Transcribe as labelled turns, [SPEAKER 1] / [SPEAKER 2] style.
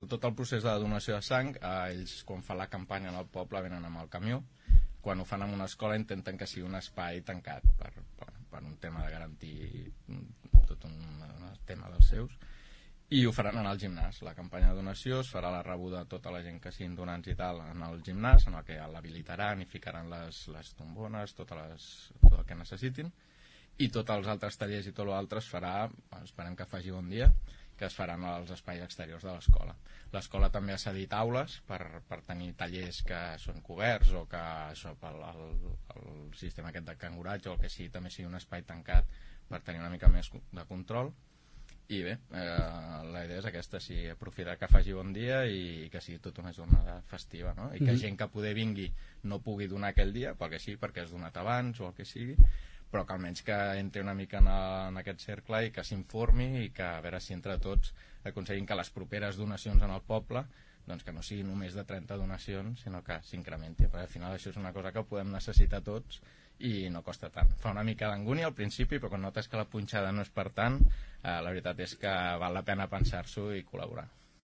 [SPEAKER 1] tot el procés de donació de sang, ells quan fan la campanya en el poble venen amb el camió. Quan ho fan en una escola intenten que sigui un espai tancat per un tema de garantir tot un tema dels seus, i ho faran en el gimnàs. La campanya de donació es farà la rebuda de tota la gent que siguin donants i tal en el gimnàs, en el que l'habilitaran i ficaran les tombones, tot el que necessitin, i tots els altres tallers i tot l'altre es farà, esperem que faci bon dia, que es faran als espais exteriors de l'escola. L'escola també ha cedit aules per tenir tallers que són coberts o que això, el sistema aquest de canguratge o el que sigui també sigui un espai tancat per tenir una mica més de control. I bé, la idea és aquesta, sí, aprofitar que faci bon dia i que sigui tota una jornada festiva, no? I que gent que poder vingui no pugui donar aquell dia, perquè sí, perquè has donat abans o el que sigui, però que almenys que entri una mica en aquest cercle i que s'informi i que a veure si entre tots aconseguim que les properes donacions en el poble doncs que no sigui només de 30 donacions sinó que s'incrementi, perquè al final això és una cosa que podem necessitar tots i no costa tant. Fa una mica d'angúnia al principi, però quan notes que la punxada no és per tant, la veritat és que val la pena pensar-s'ho i col·laborar.